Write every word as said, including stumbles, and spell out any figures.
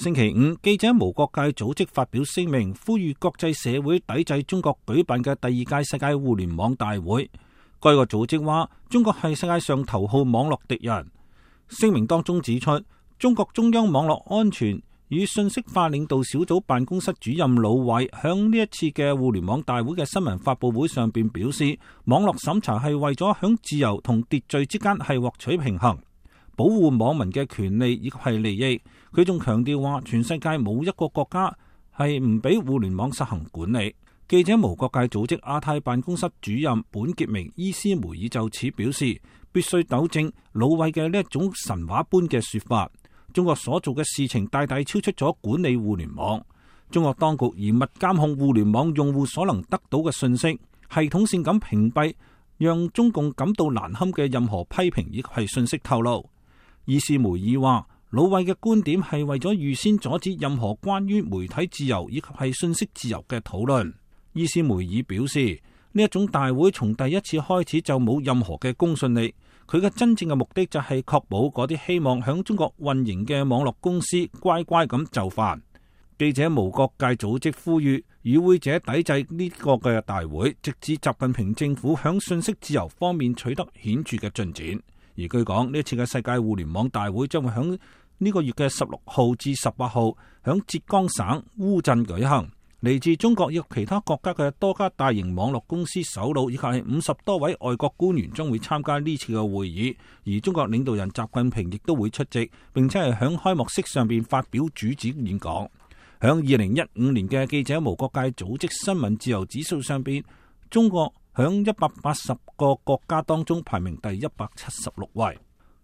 星期五，記者無國界組織發表聲明，呼籲國際社會抵制中國舉辦嘅第二屆世界互聯網大會。該個組織話，中國係世界上頭號網絡敵人。聲明當中指出，中國中央網絡安全與信息化領導小組辦公室主任魯偉響呢一次嘅互聯網大會嘅新聞發佈會上邊表示，網絡審查係為咗響自由同秩序之間係獲取平衡，保護網民嘅權利以及係利益。佢仲強調話，全世界冇一個國家係唔俾互聯網實行管理。記者無國界組織亞太辦公室主任本傑明伊斯梅爾就此表示，必須糾正魯偉嘅呢一種神話般嘅說法。中國所做嘅事情大大超出咗管理互聯網。中國當局嚴密監控互聯網用戶所能得到嘅信息，系統性咁屏蔽讓中共感到難堪嘅任何批評以及係信息透露。伊斯梅爾話，魯偉嘅觀點係為咗預先阻止任何關於媒體自由以及係信息自由嘅討論。伊斯梅爾表示，呢一種大會從第一次開始就冇任何嘅公信力。佢嘅真正嘅目的就係確保嗰啲希望響中國運營嘅網絡公司乖乖咁就範。記者無國界組織呼籲與會者抵制呢個嘅大會，直至習近平政府響信息自由方面取得顯著嘅進展。而據講，呢次嘅世界互聯網大會將會響呢個月嘅十六號至十八號響浙江省烏鎮舉行。嚟自中國以及其他國家嘅多家大型網絡公司首腦以及係五十多位外國官員將會參加呢次嘅會議，而中國領導人習近平亦都會出席，並且係響開幕式上邊發表主旨演講。響二零一五年嘅記者無國界組織新聞自由指數上邊，中國響一百八十個國家當中排名第一百七十六位。